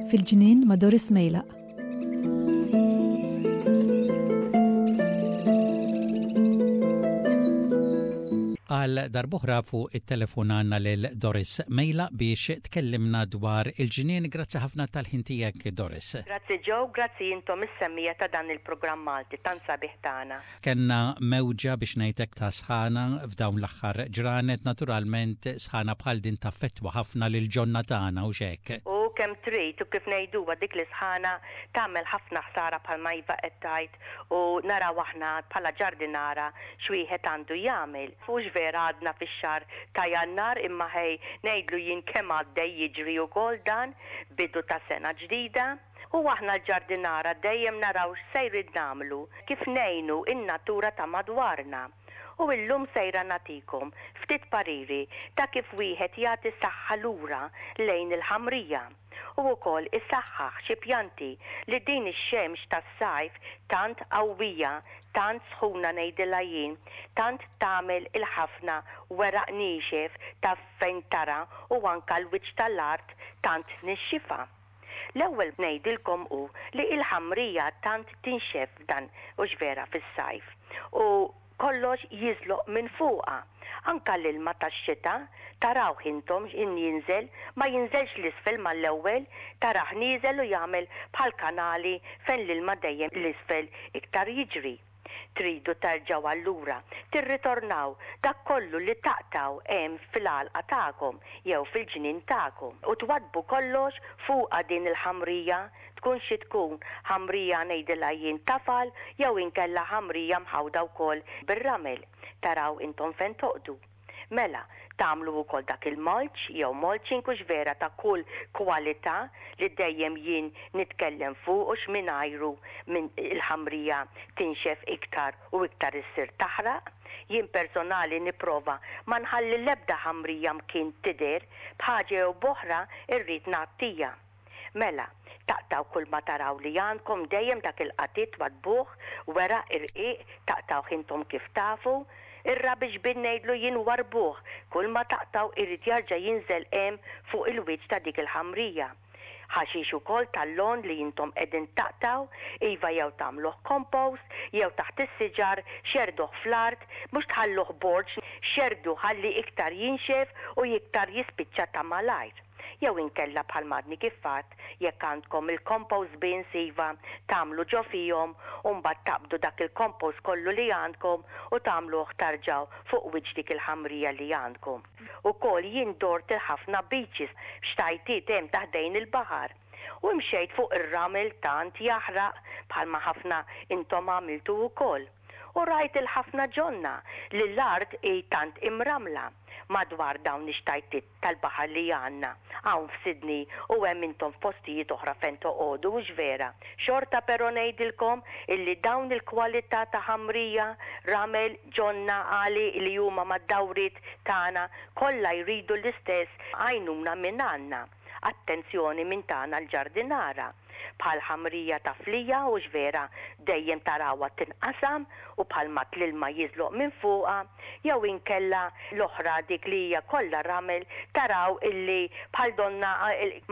Fil-ġnien ma' Doris Mejlaq. Għal darb'oħra fuq it-telefon għandna lil Doris Mejla biex tkellimna dwar il-ġnien. Grazzi ħafna tal-ħin tiegħek Doris. Grazzi Joe, grazzi intom is-semmiegħa ta' dan il-programm Malti tant sabiħ tagħna. Kellna mewġa biex ngħidlek ta' sħana f'dawn l-aħħar ġranet, naturalment sħana bħal din taffettwa ħafna lill-ġonna tagħna hux hekk? U kemm trid u kif ngħiduha dik l-isħana tagħmel ħafna ħsara bħalma iva qed tgħid u naraw aħna bħala ġardinara x'wieħed għandu jagħmel. Hux vera għadna fix-xahar ta' Jannar imma ħej ngħidlu jien kemm għaddej jiġri ukoll dan, bidu ta' sena ġdida. U aħna l-ġardinara dejjem naraw x'sejrin nagħmlu, kif ngħinu n-natura ta' madwarna. U illum sejra nagħtikom ftit pariri ta' kif wieħed jagħti saħħa lura lejn il-ħamrija. u wkoll isaħħaħ xi pjanti li din ix-xemx tas-sajf tant qawwija, tant sħuna ngħidilha jien, tant tagħmel il-ħafna weraq niexef taf fejn tara u anka l-wiċċ tal-art tant tnixxifha. L-ewwel ngħidilkom hu li l-ħamrija tant tinxef f'dan hux vera fis-sajf u Kollox jiżloq minn fuqha. Anka l-ilma tax-xita, tarawh intom x'ħin jinżel, ma jinżelx 'l isfel mal-ewwel, tarah nieżel u jagħmel bħal kanali fejn l-ilma dejjem 'l isfel iktar jiġri. Tridu terġgħu allura tirritornaw dak kollu li taqtgħu hemm fil-għalqa tagħkom jew fil-ġnien tagħkom u twaddbu kollox fuqha din il-ħamrija tkun xi tkun, ħamrija ngħidilha jien tafal jew inkella ħamrija mħawda wkoll bir-ramel, taraw intom fejn toqgħdu. Mela, tagħmlu wkoll dak il-mulch jew mulching hux vera ta' kull kwalità li dejjem jien nitkellem fuqu x'mingħajru minn il-ħamrija tinxef iktar u iktar issir taħraq. Jien personali nipprova ma nħalli l-ebda ħamrija mkien tidher, b'ħaġa jew b'oħra rrid ngħattija. Mela, taqtgħu kulma taraw li għandkom dejjem dak il-qatit twaddbuh, weraq irqiq, taqtgħuh intom kif tafu. Ir-rubbish bin ngħidlu jien warrbuh, kulma taqtgħu irid jarġa' jinżel hemm fuq il-wiċċ ta' dik il-ħamrija. Ħaxix ukoll tal-lawn li intom qegħdin taqtgħu, iva jew tagħmluh compost, jew taħt is-siġar, xerrduh fl-art, mhux tħalluh borġ, xerrdu ħalli iktar jinxef u iktar jispiċċa ta' malajr. Jew inkella bħalma għadni kif għedt, jekk għandkom il-compost bins iva, tagħmlu ġo fihom u mbagħad taqbdu dak il-compost kollu li għandkom u tagħmluh tarġgħu fuq wiċċ dik il-ħamrija li għandkom. Ukoll jien dort il-ħafna beaches f'xtajtiet hemm ta' ħdejn il-baħar. U imxejt fuq ir-ramel tant jaħraq bħalma ħafna intom għamiltu wkoll. U rajt il-ħafna ġonna li l-art hi tant imrammla madwar dawn ix-xtajtiet tal-baħar li għandna hawn f'Sydney u hemm intom f'postijiet oħra fejn toqogħdu hux vera? Xorta però ngħidilkom illi dawn il-kwalità ta' ħamrija, ramel, ġonna, għali li huma mad-dawriet tagħna kollha jridu l-istess għajnuna minn għandna. Attenzjoni minn tagħna l-ġardinara. Bħal ħamrija ta' flija hux vera dejjem tarawha tinqasam u bħal mat l-ilma jiżloq minn fuqha jew inkella l-oħra dik li hija kollha ramel taraw illi bħal donna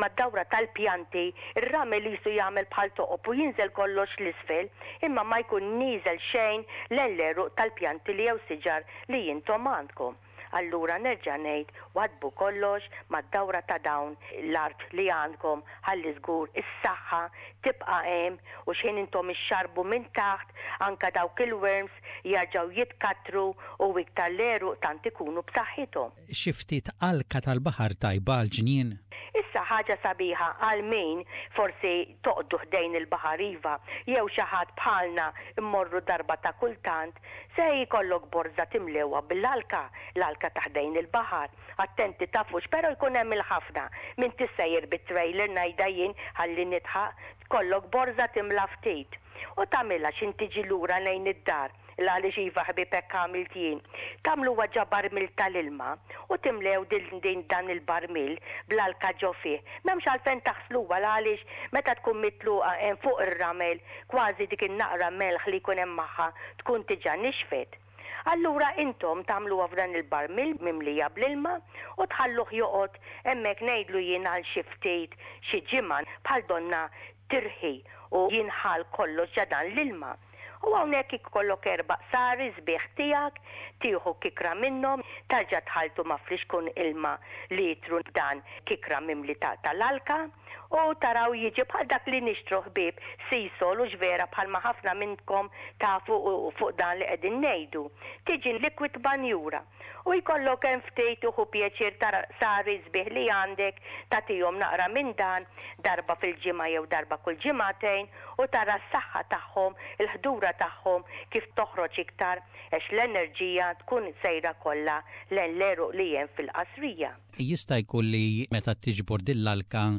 mad-dawra tal-pjanti r-ramel qisu jagħmel bħal toqob u jinżel kollox 'l isfel imma ma jkun nieżel xejn lejn l-għeruq tal-pjanti li jew siġar li intom għandkom. Allura nerġa' ngħid waddbu kollox mad-dawra ta' dawn l-art li għandkom ħalli żgur is-saħħa tibqa' hemm u x'ħin intom ixxarrbu minn taħt anke dawk il-worms jerġgħu jitkattru u iktar l-għeruq tant ikunu b'saħħithom. Xi ftit alka tal-baħar tajba għall-ġnien? Issa ħaġa sabiħa għal min forsi toqgħdu ħdejn il-baħar iva jew xi ħadd bħalna mmorru darba ta' kultant Se jkollok borża timlewha bil-alka, l-alka ta' ħdejn il-baħar. Attenti tafux, però jkun hemm il-ħafna. M'intix sejjer bit-trailer ngħidha jien ħalli nidħaq. Tkollok borża timla ftit. U tagħmilha x'int tiġi lura lejn id-dar. Il għaliex iva ħbieb hekk għamilt jien. Tagħmluha ġa barmil tal-ilma u timlew din din dan il-barmil bl-alka ġo fih. M'hemmx għalfejn taħsluha l għaliex meta tkun mitluqa hemm fuq ir-ramel kważi dik in-naqra melħ li jkun hemm magħha tkun diġà nixfet. Allura intom tagħmluha f'dan il-barmil mimlija bl-ilma u tħalluh joqgħod hemmhekk ngħidlu jien għal xi ftit xi ġimgħa bħal donnha tirħi u jinħall kollox ġa dan l-ilma. U hawnhekk ikollok erba' qsari sbieħ tiegħek, tieħu kikra minnhom, tarġa' tħalltu ma' flixkun ilma litru b'dan kikra mimli ta' tal-alka, u taraw jiġi bħal dak li nixtru ħbieb Seasol hux vera bħalma ħafna minnkom tafu fuq dan li qegħdin ngħidu. Tiġi liquid banjura. U jkollok hemm ftit u ħu pjaċir tara qsari sbieħ li għandek, tagħtihom naqra minn dan darba fil-ġimgħa jew darba kull ġimgħatejn u tara s-saħħa tagħhom, il-ħdura tagħhom kif toħroġ iktar għax l-enerġija tkun sejra kollha lejn l-għeruq li hemm fil-qasrija. Jista' jkun li meta tiġbor din l-alka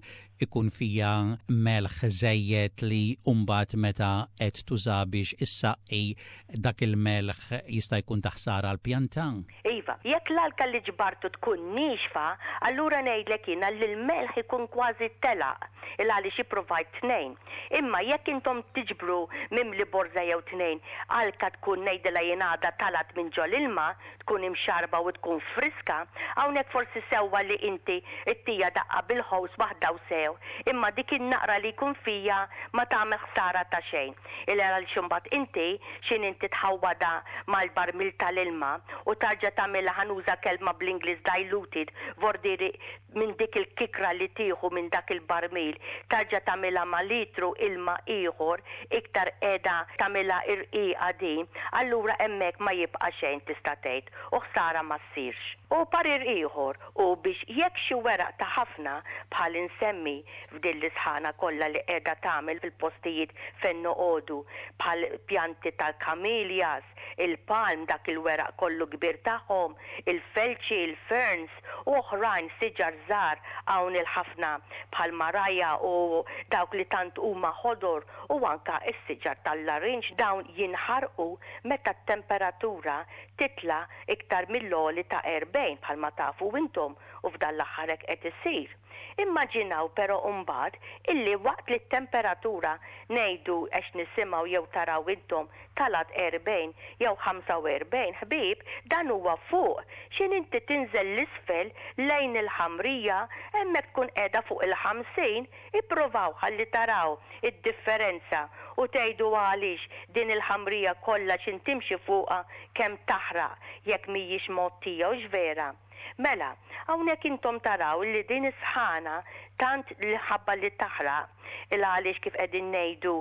ikun fiha melħ żejjed li mbagħad meta qed tuża biex issaqqi dak il-melħ jista' jkun ta' ħsara għall-pjanta? Iva, jekk l-alka li ġbartu tkun niexfa, allura ngħidlek jiena li l-melħ ikun kważi telaq, il għaliex ippruvajt tnejn. Imma jekk intom tiġbru mimli borża jew tnejn, alka tkun ngħidilha jien għadha talgħet minn ġol-ilma, tkun imxarrba u tkun friska, hawnhekk forsi sewwa li inti ttija daqqa bil-ħows waħda u sew, imma dik in-naqra li jkun fija ma tagħmel ħsara ta' xejn. Il għaliex imbagħad inti x'in inti tħawwadha mal-barmil tal-ilma u tarġa' tagħmilha ħa nuża kelma bl-Ingliż diluted vordieri minn dik il-kikra li tieħu minn dak il-barmil tarġa' tagħmilha ma' litru ilma ieħor iktar qiegħda tagħmilha irqiqa din, allura hemmhekk ma jibqa' xejn tista' tgħid u ħsara ma ssirx. U parir ieħor hu biex jekk xi weraq ta' ħafna bħal insemmi f'din l-isħana kollha li qiegħda tagħmel fil-postijiet fejn noqogħdu bħal pjanti tal-camellias, il-palm dak il-weraq kollu kbir tagħhom, il-felċi, il-ferns, u oħrajn siġar żgħar hawn il-ħafna bħal maraja u dawk li tant huma ħodor u anka s-siġar tal-larinġ dawn jinħarqu meta t-temperatura titla' iktar mill-għoli ta' 40 bħalma tafu intom u f'dan l-aħħar hekk qed isir. Immaġinaw però mbagħad illi waqt li t-temperatura ngħidu għax nisimgħu jew taraw intom talgħet 40 jew 45 ħbieb dan huwa fuq x'in inti tinżel 'l isfel lejn il-ħamrija hemmhekk tkun qiegħda fuq il-50 ippruvaw ħalli taraw id-differenza u tgħidu għaliex din il-ħamrija kollha x'in timxi fuqha kemm taħraq jekk mhijiex mgħottija hux vera? Mela, hawnhekk intom taraw li din is-sħana tant li ħabba li taħraq, il għaliex kif qegħdin ngħidu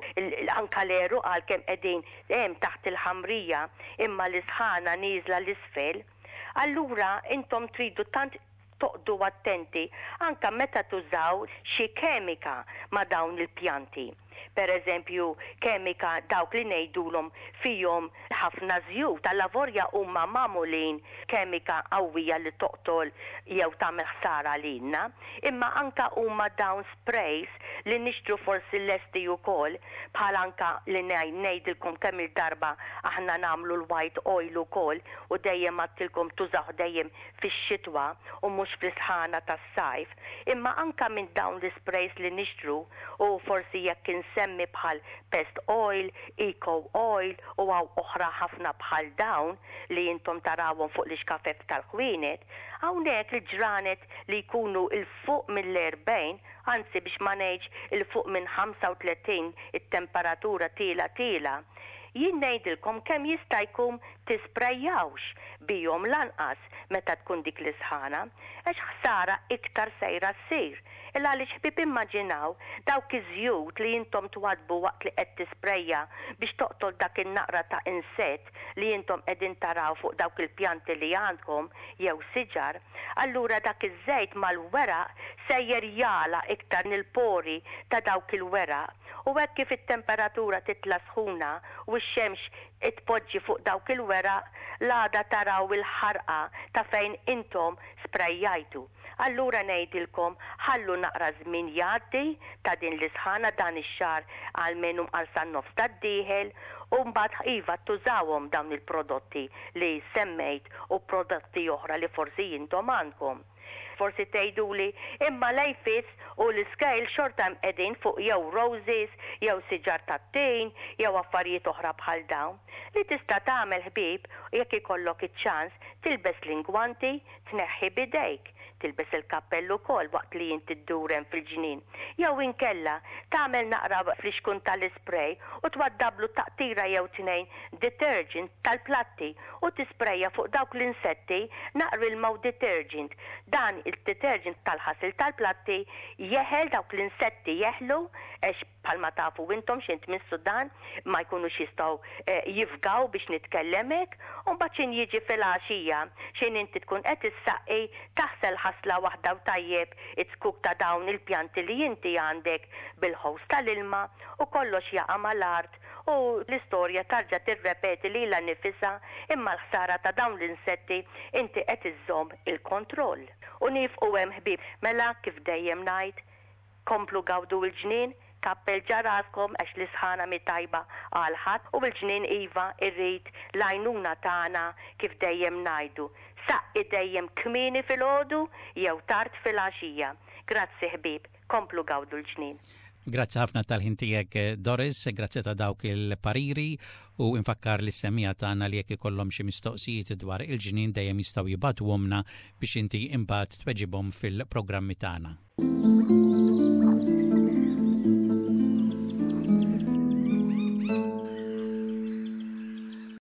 anka l-għeruq għalkemm qegħdin hemm taħt il-ħamrija imma l-isħana nieżla 'l isfel, allura intom tridu tant toqgħdu attenti anka meta tużaw xi kemika ma' dawn il-pjanti. Per eżempju, kemika dawk li ngħidulhom fihom ħafna żjut, allavorja huma magħmulin kemika qawwija li toqtol jew tagħmel ħsara lilna, imma anka huma dawn sprays li nixtru forsi lesti ukoll, bħal anka li ngħidilkom kemm-il darba aħna nagħmlu l-white oil ukoll u dejjem għadtilkom tużawh dejjem fix-xitwa u mhux fl-isħana tas-sajf, imma anka minn dawn l-isprays li nixtru u forsi jekk insemmi bħal Pest Oil, Eco Oil u hawn oħra ħafna bħal dawn li intom tarawhom fuq l-ixkafef tal-ħwienet, hawnhekk il-ġranet li jkunu 'l fuq mill-40, anzi biex ma ngħidx 'il fuq minn 35 it-temperatura tiela' tiela', jien ngħidilkom kemm jista' jkun tisprejjawx bihom lanqas meta tkun dik l-isħana, għax ħsara iktar sejra ssir. Il għaliex ħbieb immaġinaw dawk iż-żjut li intom twaddbu waqt li qed tisprejja biex toqtol dak in-naqra ta' insett li intom qegħdin taraw fuq dawk il-pjanti li għandkom jew siġar, allura dak iż-żejt mal-weraq sejjer jagħlaq iktar il-pori ta' dawk il-weraq u hekk kif it-temperatura titla' sħuna u x-xemx tpoġġi fuq dawk il-weraq, l-għada taraw il-ħarqa ta' fejn intom sprejjajtu. Allura ngħidilkom ħallu naqra żmien jgħaddi ta' din l-isħana dan ix-xahar almenu mqar san-nofs tad-dieħel u mbagħad iva tużawhom dawn il-prodotti li semmejt u prodotti oħra li forsi intom għandkom. Forsi tgħiduli, imma l-aphids u l-iscale xorta hemm qegħdin fuq jew roses jew siġar tat-tin jew affarijiet oħra bħal dawn. Li tista' tagħmel ħbieb jekk ikollok iċ-ċans tilbes l-ingwanti, tneħħi b'idejk, tilbes il-kappell ukoll waqt li inti ddur hemm fil-ġnien. Jew inkella, tagħmel naqra flixkun tal-ispray u twaddablu taqtira jew tnejn detergent tal-platti u tisprejja fuq dawk l-insetti naqra ilma u detergent. Dan id-detergent tal-ħasil tal-platti jeħel dawk l-insetti jeħlu għax Bħalma tafu intom x'int mis-Sudan ma jkunux jistgħu jifgaw biex nitkellem hekk, u mbagħad x'in jiġi filgħaxija, x'in inti tkun qed issaqqi, taħsel ħasla waħda u tajjeb iz-zkuk ta' dawn il-pjanti li inti għandek bil-hose tal-ilma u kollox jaqa' mal-art u l-istorja tarġa' tirrepeti lilha nifisha imma l-ħsara ta' dawn l-insetti inti qed iżżomm il-kontroll. U niefqu hemm ħbieb. Mela kif dejjem ngħid, Komplu gawdu l-ġnien, kappel ġa raskom għax l-isħana mhi tajba għal ħadd u l-ġnien iva irrid l-għajnuna tagħna kif dejjem ngħidu, saqqi dejjem kmieni filgħodu jew tard filgħaxija. Grazzi ħbieb, komplu gawdu l-ġnien. Grazzi ħafna tal-ħin tiegħek Doris, grazzi ta' dawk il-pariri u infakkar lis-semmiegħa tagħna li jekk ikollhom xi mistoqsijiet dwar il-ġnien dejjem jistgħu jibagħtuhomlna biex inti imbagħad tweġibhom fil-programmi tagħna.